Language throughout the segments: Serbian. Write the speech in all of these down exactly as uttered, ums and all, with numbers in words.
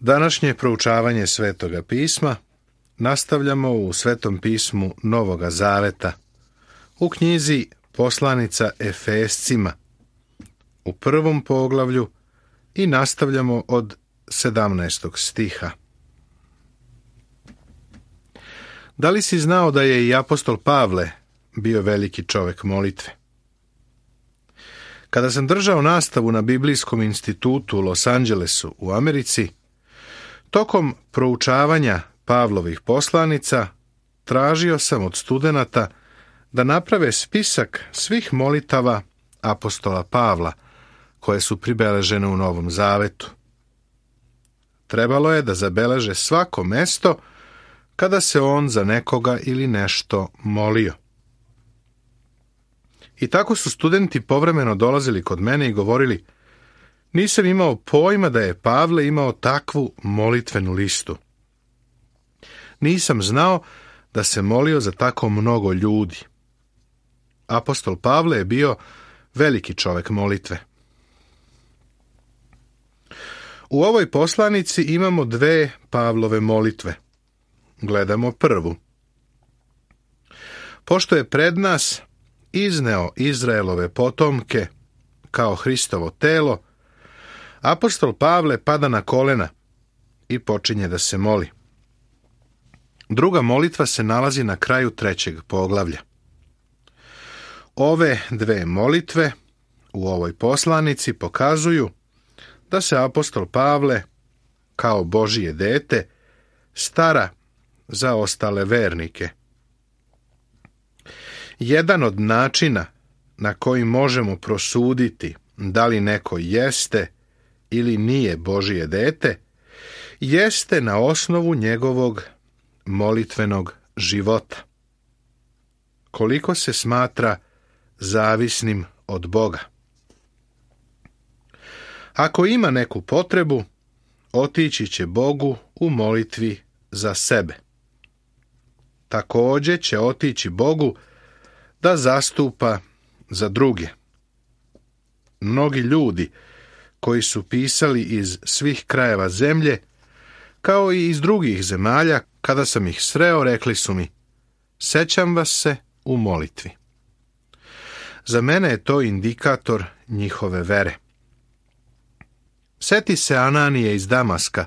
Današnje proučavanje Svetoga pisma nastavljamo u Svetom pismu Novoga Zaveta, u knjizi Poslanica Efescima, u prvom poglavlju i nastavljamo od sedamnaestog stiha. Da li si znao da je i apostol Pavle bio veliki čovjek molitve? Kada sam držao nastavu na Biblijskom institutu u Los Angelesu u Americi, tokom proučavanja Pavlovih poslanica tražio sam od studenata da naprave spisak svih molitava apostola Pavla koje su pribeležene u Novom Zavetu. Trebalo je da zabeleže svako mesto kada se on za nekoga ili nešto molio. I tako su studenti povremeno dolazili kod mene i govorili: nisam imao pojma da je Pavle imao takvu molitvenu listu. Nisam znao da se molio za tako mnogo ljudi. Apostol Pavle je bio veliki čovjek molitve. U ovoj poslanici imamo dve Pavlove molitve. Gledamo prvu. Pošto je pred nas izneo Izraelove potomke kao Hristovo telo, apostol Pavle pada na kolena i počinje da se moli. Druga molitva se nalazi na kraju trećeg poglavlja. Ove dve molitve u ovoj poslanici pokazuju da se apostol Pavle, kao Božije dete, stara za ostale vernike. Jedan od načina na koji možemo prosuditi da li neko jeste ili nije Božije dete, jeste na osnovu njegovog molitvenog života. Koliko se smatra zavisnim od Boga. Ako ima neku potrebu, otići će Bogu u molitvi za sebe. Također će otići Bogu da zastupa za druge. Mnogi ljudi koji su pisali iz svih krajeva zemlje, kao i iz drugih zemalja, kada sam ih sreo, rekli su mi: sećam vas se u molitvi. Za mene je to indikator njihove vere. Seti se Ananije iz Damaska,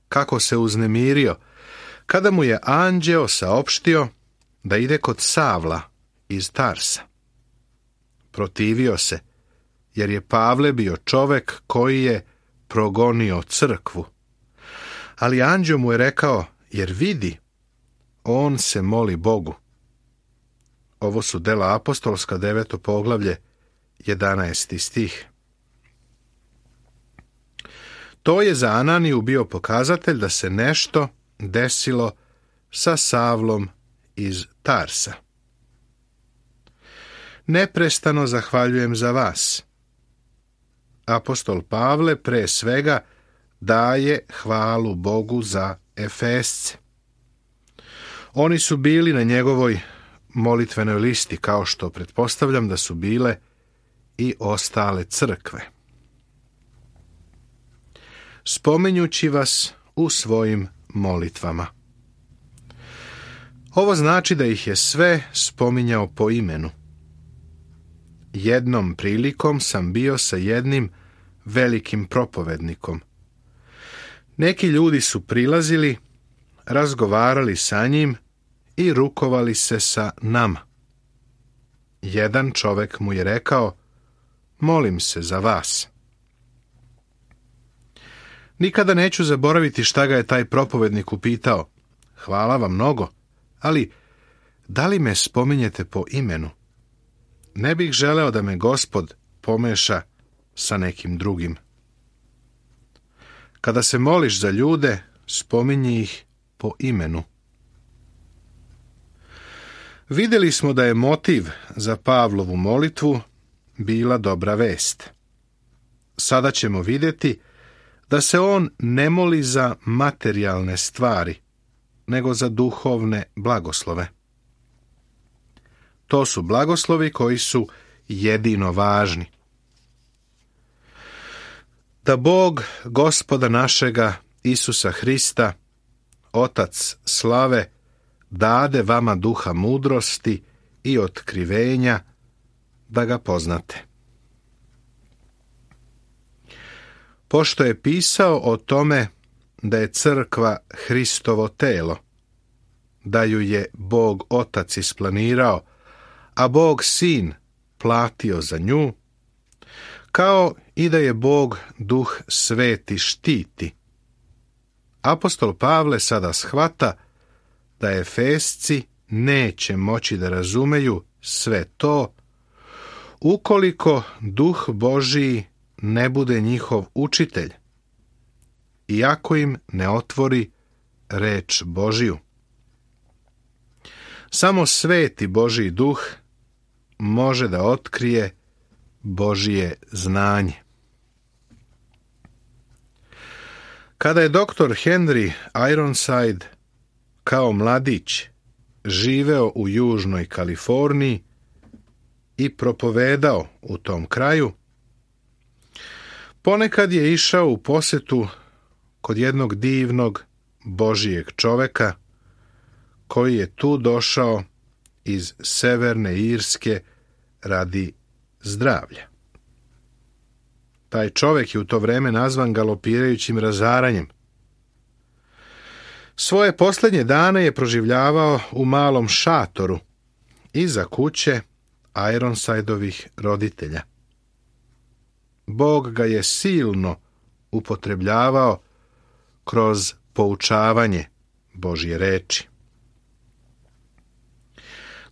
kako se uznemirio kada mu je anđeo saopštio da ide kod Savla iz Tarsa. Protivio se, jer je Pavle bio čovek koji je progonio crkvu. Ali anđeo mu je rekao: jer vidi, on se moli Bogu. Ovo su Dela apostolska, deveto poglavlje, jedanaesti stih. To je za Ananiju bio pokazatelj da se nešto desilo sa Savlom iz Tarsa. Neprestano zahvaljujem za vas. Apostol Pavle pre svega daje hvalu Bogu za Efesce. Oni su bili na njegovoj molitvenoj listi, kao što pretpostavljam da su bile i ostale crkve. Spominjući vas u svojim molitvama. Ovo znači da ih je sve spominjao po imenu. Jednom prilikom sam bio sa jednim velikim propovednikom. Neki ljudi su prilazili, razgovarali sa njim i rukovali se sa nama. Jedan čovjek mu je rekao: molim se za vas. Nikada neću zaboraviti šta ga je taj propovednik upitao: hvala vam mnogo, ali da li me spominjete po imenu? Ne bih želeo da me Gospod pomeša sa nekim drugim. Kada se moliš za ljude, spominji ih po imenu. Vidjeli smo da je motiv za Pavlovu molitvu bila dobra vest. Sada ćemo vidjeti da se on ne moli za materijalne stvari, nego za duhovne blagoslove. To su blagoslovi koji su jedino važni. Da Bog, Gospoda našega Isusa Hrista, Otac slave, dade vama duha mudrosti i otkrivenja, da ga poznate. Pošto je pisao o tome da je crkva Hristovo telo, da ju je Bog Otac isplanirao, a Bog Sin platio za nju, kao i da je Bog Duh Sveti štiti, apostol Pavle sada shvata da Efesci neće moći da razumeju sve to ukoliko Duh Božiji ne bude njihov učitelj, iako im ne otvori reč Božiju. Samo sveti Božji Duh može da otkrije Božije znanje. Kada je doktor Henry Ironside kao mladić živeo u južnoj Kaliforniji i propovedao u tom kraju, ponekad je išao u posetu kod jednog divnog Božijeg čoveka koji je tu došao iz Severne Irske radi zdravlja. Taj čovjek je u to vreme nazvan galopirajućim razaranjem. Svoje posljednje dane je proživljavao u malom šatoru iza kuće Ironsideovih roditelja. Bog ga je silno upotrebljavao kroz poučavanje Božje reči.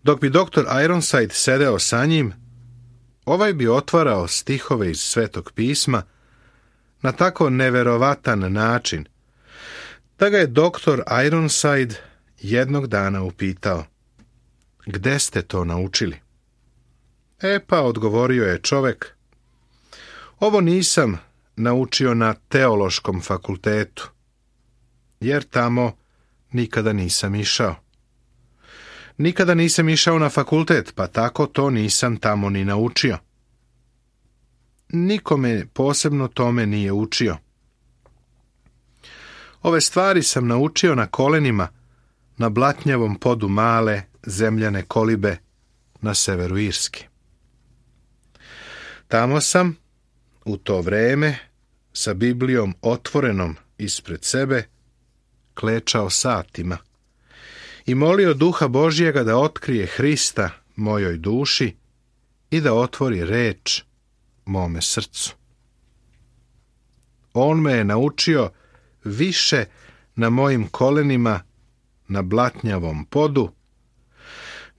Dok bi doktor Ironside sedeo sa njim, ovaj bi otvarao stihove iz Svetog pisma na tako neverovatan način da ga je doktor Ironside jednog dana upitao: "Gde ste to naučili?" E pa, odgovorio je čovek, "Ovo nisam naučio na teološkom fakultetu, jer tamo nikada nisam išao. Nikada nisam išao na fakultet, pa tako to nisam tamo ni naučio. Nikome posebno tome nije učio. Ove stvari sam naučio na kolenima na blatnjavom podu male zemljane kolibe na severu Irske. Tamo sam, u to vreme, sa Biblijom otvorenom ispred sebe, klečao satima i molio Duha Božjega da otkrije Hrista mojoj duši i da otvori reč mome srcu. On me je naučio više na mojim kolenima na blatnjavom podu,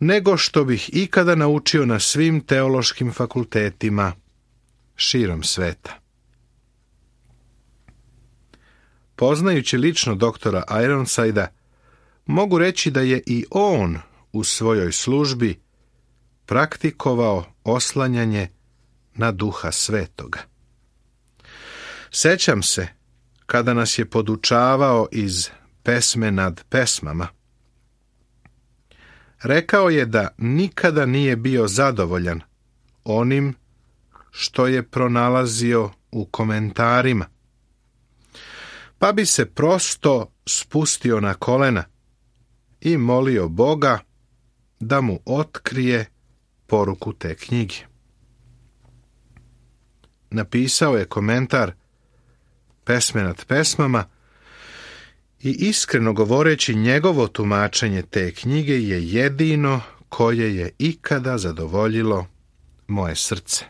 nego što bih ikada naučio na svim teološkim fakultetima širom sveta." Poznajući lično doktora Ironsida, mogu reći da je i on u svojoj službi praktikovao oslanjanje na Duha Svetoga. Sećam se kada nas je podučavao iz Pesme nad pesmama. Rekao je da nikada nije bio zadovoljan onim što je pronalazio u komentarima, pa bi se prosto spustio na kolena i molio Boga da mu otkrije poruku te knjige. Napisao je komentar Pesme nad pesmama i iskreno govoreći, njegovo tumačenje te knjige je jedino koje je ikada zadovoljilo moje srce.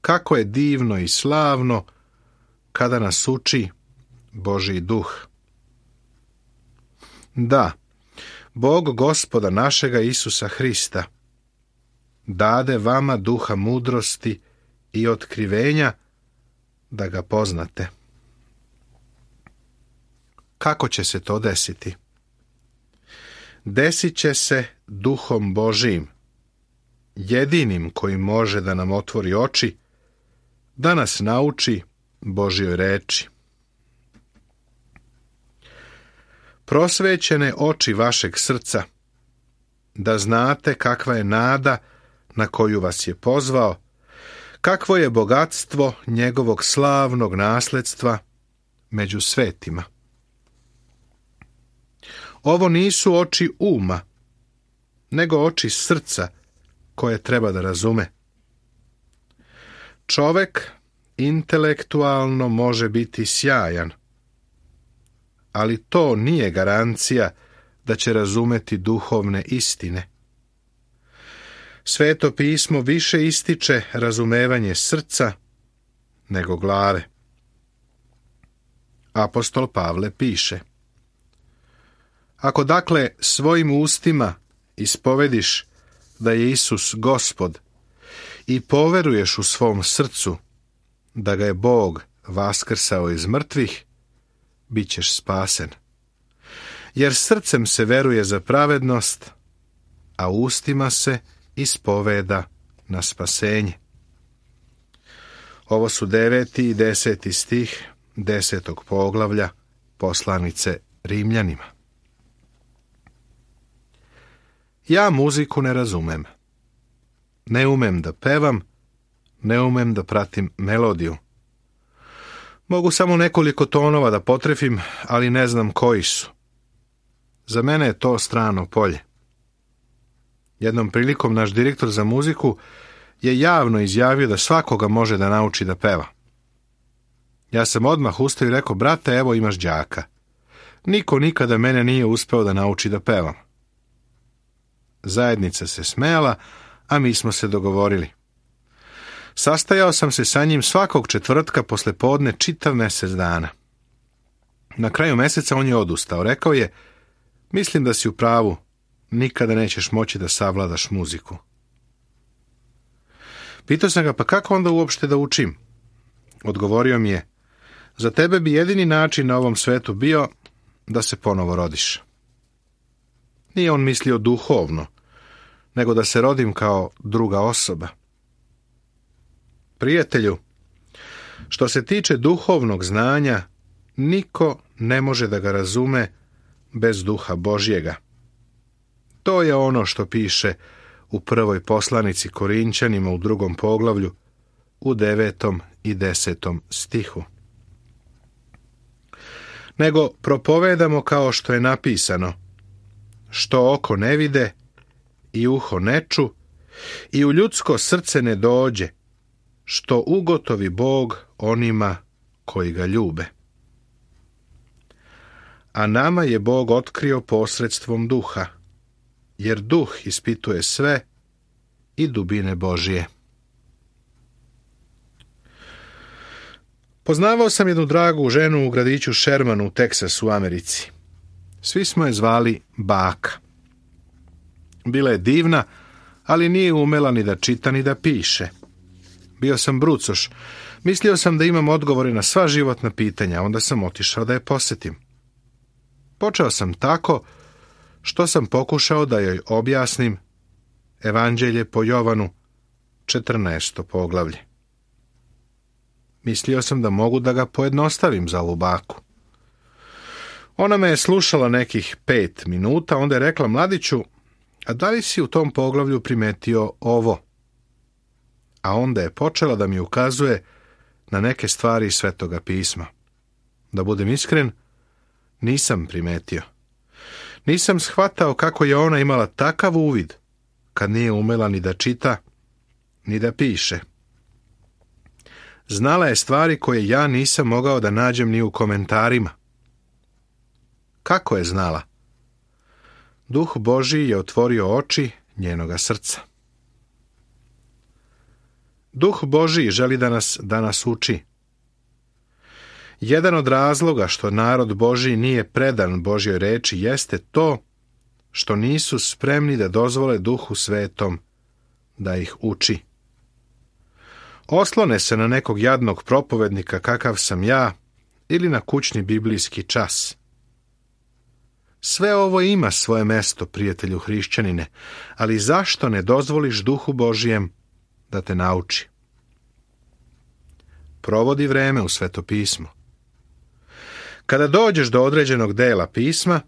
Kako je divno i slavno kada nas uči Božji duh. Da, Bog Gospoda našega Isusa Hrista dade vama duha mudrosti i otkrivenja da ga poznate. Kako će se to desiti? Desit će se Duhom Božijim, jedinim koji može da nam otvori oči, da nas nauči Božjoj reči. Prosvećene oči vašeg srca, da znate kakva je nada na koju vas je pozvao, kakvo je bogatstvo njegovog slavnog nasledstva među svetima. Ovo nisu oči uma, nego oči srca koje treba da razume. Čovek intelektualno može biti sjajan, ali to nije garancija da će razumeti duhovne istine. Sveto pismo više ističe razumevanje srca nego glave. Apostol Pavle piše: ako dakle svojim ustima ispovediš da je Isus Gospod i poveruješ u svom srcu da ga je Bog vaskrsao iz mrtvih, bit ćeš spasen. Jer srcem se veruje za pravednost, a ustima se ispoveda na spasenje. Ovo su deveti i deseti stih desetog poglavlja poslanice Rimljanima. Ja muziku ne razumem. Ne umem da pevam, ne umem da pratim melodiju. Mogu samo nekoliko tonova da potrefim, ali ne znam koji su. Za mene je to strano polje. Jednom prilikom naš direktor za muziku je javno izjavio da svakoga može da nauči da peva. Ja sam odmah ustao i rekao: brate, evo imaš đaka. Niko nikada mene nije uspeo da nauči da pevam. Zajednica se smejala, a mi smo se dogovorili. Sastajao sam se sa njim svakog četvrtka posle podne čitav mjesec dana. Na kraju mjeseca on je odustao. Rekao je: mislim da si u pravu, nikada nećeš moći da savladaš muziku. Pitao sam ga: pa kako onda uopšte da učim? Odgovorio mi je: za tebe bi jedini način na ovom svetu bio da se ponovo rodiš. Nije on mislio duhovno, nego da se rodim kao druga osoba. Prijatelju, što se tiče duhovnog znanja, niko ne može da ga razume bez duha Božjega. To je ono što piše u prvoj poslanici Korinćanima u drugom poglavlju, u devetom i desetom stihu. Nego propovedamo kao što je napisano: što oko ne vide i uho ne ču i u ljudsko srce ne dođe, što ugotovi Bog onima koji ga ljube. A nama je Bog otkrio posredstvom duha, jer duh ispituje sve i dubine Božije. Poznavao sam jednu dragu ženu u gradiću Shermanu u Teksasu u Americi. Svi smo je zvali baka. Bila je divna, ali nije umela ni da čita ni da piše. Bio sam brucoš. Mislio sam da imam odgovore na sva životna pitanja, onda sam otišao da je posetim. Počeo sam tako što sam pokušao da joj objasnim Evanđelje po Jovanu, četrnaesto poglavlje. Mislio sam da mogu da ga pojednostavim za ovu baku. Ona me je slušala nekih pet minuta, onda je rekla: mladiću, a da li si u tom poglavlju primetio ovo? A onda je počela da mi ukazuje na neke stvari iz Svetoga pisma. Da budem iskren, nisam primetio. Nisam shvatao kako je ona imala takav uvid kad nije umela ni da čita, ni da piše. Znala je stvari koje ja nisam mogao da nađem ni u komentarima. Kako je znala? Duh Božji je otvorio oči njenoga srca. Duh Božji želi da nas danas uči. Jedan od razloga što narod Božji nije predan Božjoj reči jeste to što nisu spremni da dozvole Duhu Svetom da ih uči. Oslone se na nekog jadnog propovednika kakav sam ja ili na kućni biblijski čas. Sve ovo ima svoje mesto, prijatelju hrišćanine, ali zašto ne dozvoliš Duhu Božjem da te nauči? Provodi vreme u Sveto pismo. Kada dođeš do određenog dela pisma,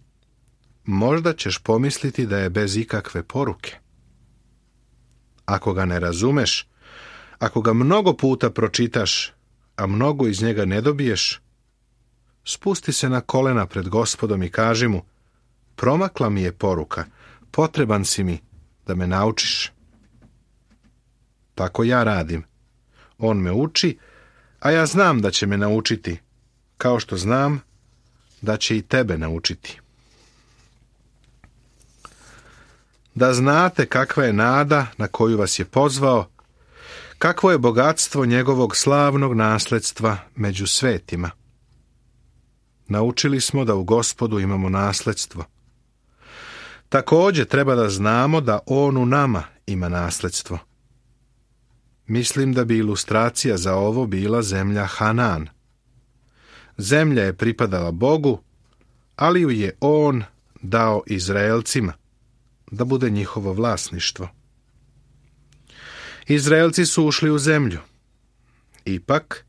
možda ćeš pomisliti da je bez ikakve poruke. Ako ga ne razumeš, Ako ga mnogo puta pročitaš, a mnogo iz njega ne dobiješ, spusti se na kolena pred Gospodom i kaži mu: promakla mi je poruka, potreban si mi da me naučiš. Tako ja radim. On me uči, a ja znam da će me naučiti, kao što znam da će i tebe naučiti. Da znate kakva je nada na koju vas je pozvao, kakvo je bogatstvo njegovog slavnog nasledstva među svetima. Naučili smo da u Gospodu imamo nasledstvo. Također treba da znamo da on u nama ima nasledstvo. Mislim da bi ilustracija za ovo bila zemlja Hanan. Zemlja je pripadala Bogu, ali ju je on dao Izraelcima, da bude njihovo vlasništvo. Izraelci su ušli u zemlju. Ipak,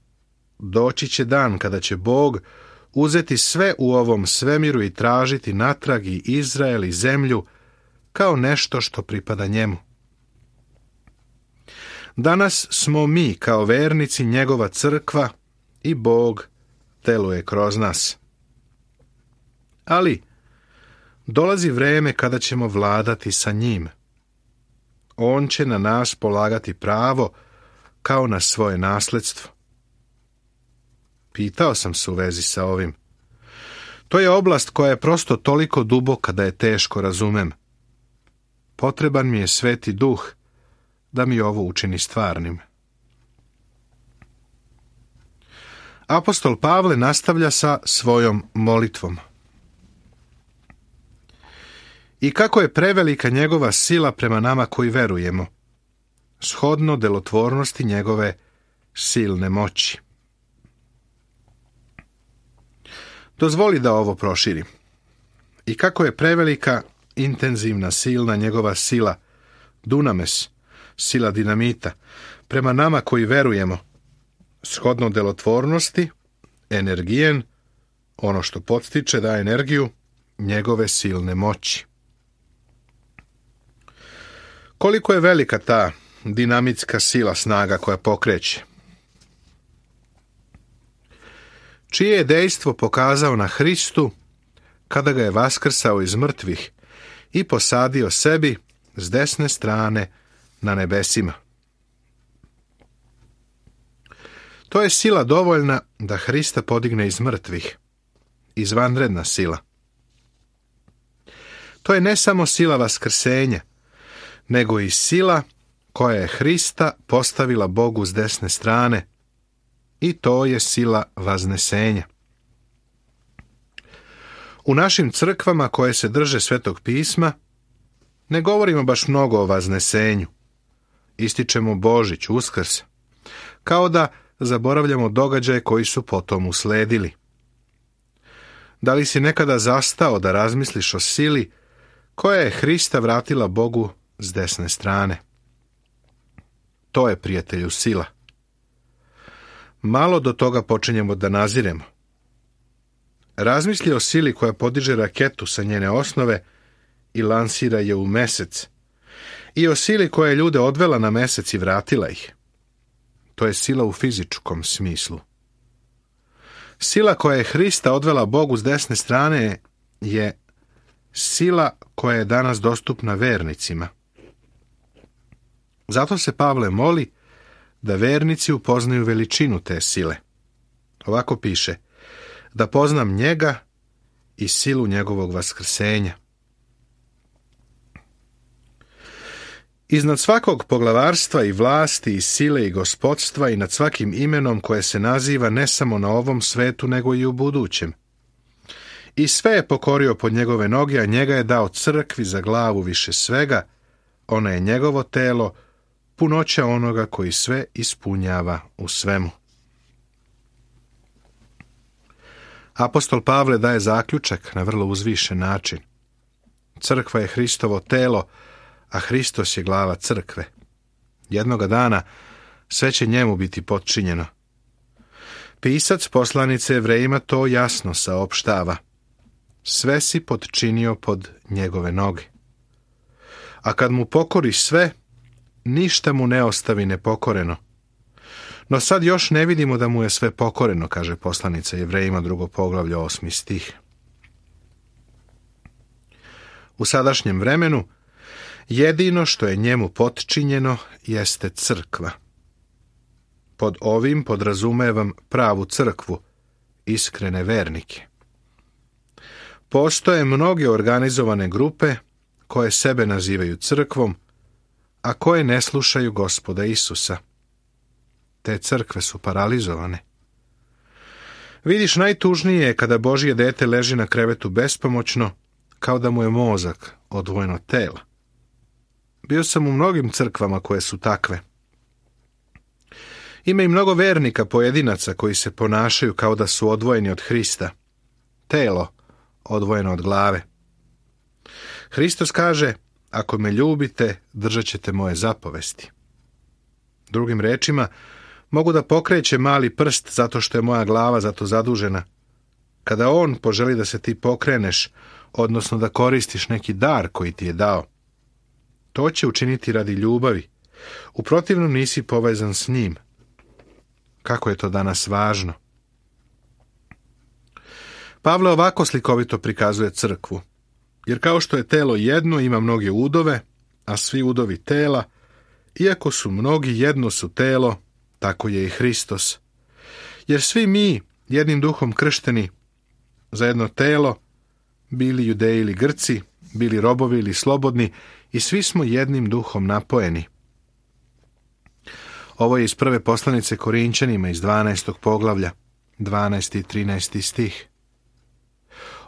doći će dan kada će Bog uzeti sve u ovom svemiru i tražiti natrag i Izrael i zemlju kao nešto što pripada njemu. Danas smo mi kao vernici njegova crkva i Bog deluje kroz nas. Ali dolazi vreme kada ćemo vladati sa njim. On će na nas polagati pravo kao na svoje nasledstvo. Pitao sam se u vezi sa ovim. To je oblast koja je prosto toliko duboka da je teško razumem. Potreban mi je Sveti Duh da mi ovo učini stvarnim. Apostol Pavle nastavlja sa svojom molitvom. I kako je prevelika njegova sila prema nama koji verujemo, shodno delotvornosti njegove silne moći. Dozvoli da ovo proširim. I kako je prevelika, intenzivna, silna njegova sila, dunames, sila dinamita, prema nama koji verujemo, shodno delotvornosti, energijen, ono što podstiče da energiju, njegove silne moći. Koliko je velika ta dinamitska sila, snaga koja pokreće? Čije je dejstvo pokazao na Hristu kada ga je vaskrsao iz mrtvih i posadio sebi s desne strane na nebesima. To je sila dovoljna da Hrista podigne iz mrtvih, izvanredna sila. To je ne samo sila vaskrsenja, nego i sila koja je Hrista postavila Bogu s desne strane, i to je sila vaznesenja. U našim crkvama koje se drže Svetog pisma ne govorimo baš mnogo o vaznesenju. Ističemo Božić, Uskrs, kao da zaboravljamo događaje koji su potom usledili. Da li si nekada zastao da razmisliš o sili koja je Hrista vratila Bogu s desne strane? To je, prijatelju, sila. Malo do toga počinjemo da naziremo. Razmisli o sili koja podiže raketu sa njene osnove i lansira je u mesec, i o sili koja je ljude odvela na mesec i vratila ih. To je sila u fizičkom smislu. Sila koja je Hrista odvela Bogu s desne strane je sila koja je danas dostupna vernicima. Zato se Pavle moli da vernici upoznaju veličinu te sile. Ovako piše: da poznam njega i silu njegovog vaskrsenja. Iznad svakog poglavarstva i vlasti i sile i gospodstva i nad svakim imenom koje se naziva ne samo na ovom svetu nego i u budućem. I sve je pokorio pod njegove noge, a njega je dao crkvi za glavu više svega. Ona je njegovo telo, punoća onoga koji sve ispunjava u svemu. Apostol Pavle daje zaključak na vrlo uzvišen način. Crkva je Hristovo telo, a Hristos je glava crkve. Jednoga dana sve će njemu biti potčinjeno. Pisac poslanice Jevrejima to jasno saopštava. Sve si potčinio pod njegove noge. A kad mu pokoriš sve, ništa mu ne ostavi nepokoreno, No sad još ne vidimo da mu je sve pokoreno, kaže poslanica Jevrejima, drugo poglavlje, osmi stih. U sadašnjem vremenu jedino što je njemu potčinjeno jeste crkva. Pod ovim podrazumevam pravu crkvu, iskrene vernike. Postoje mnoge organizovane grupe koje sebe nazivaju crkvom, a koje ne slušaju Gospoda Isusa. Te crkve su paralizovane. Vidiš, najtužnije je kada Božje dete leži na krevetu bespomoćno, kao da mu je mozak odvojen od tela. Bio sam u mnogim crkvama koje su takve. Ima i mnogo vernika pojedinaca koji se ponašaju kao da su odvojeni od Hrista. Telo odvojeno od glave. Hristos kaže, ako me ljubite, držat ćete moje zapovesti. Drugim rečima, mogu da pokrećem mali prst zato što je moja glava zato zadužena. Kada on poželi da se ti pokreneš, odnosno da koristiš neki dar koji ti je dao, to će učiniti radi ljubavi. U protivnom nisi povezan s njim. Kako je to danas važno? Pavle ovako slikovito prikazuje crkvu. Jer kao što je telo jedno, ima mnoge udove, a svi udovi tela, iako su mnogi, jedno su telo, tako je i Hristos. Jer svi mi, jednim duhom kršteni, za jedno telo, bili Judeji ili Grci, bili robovi ili slobodni, i svi smo jednim duhom napojeni. Ovo je iz prve poslanice Korinćanima iz dvanaestog poglavlja, dvanaesti i trinaesti stih.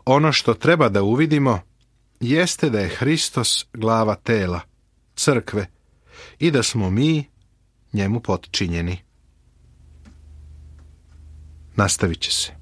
Ono što treba da uvidimo jeste da je Hristos glava tela, crkve, i da smo mi njemu potčinjeni. Nastavit će se.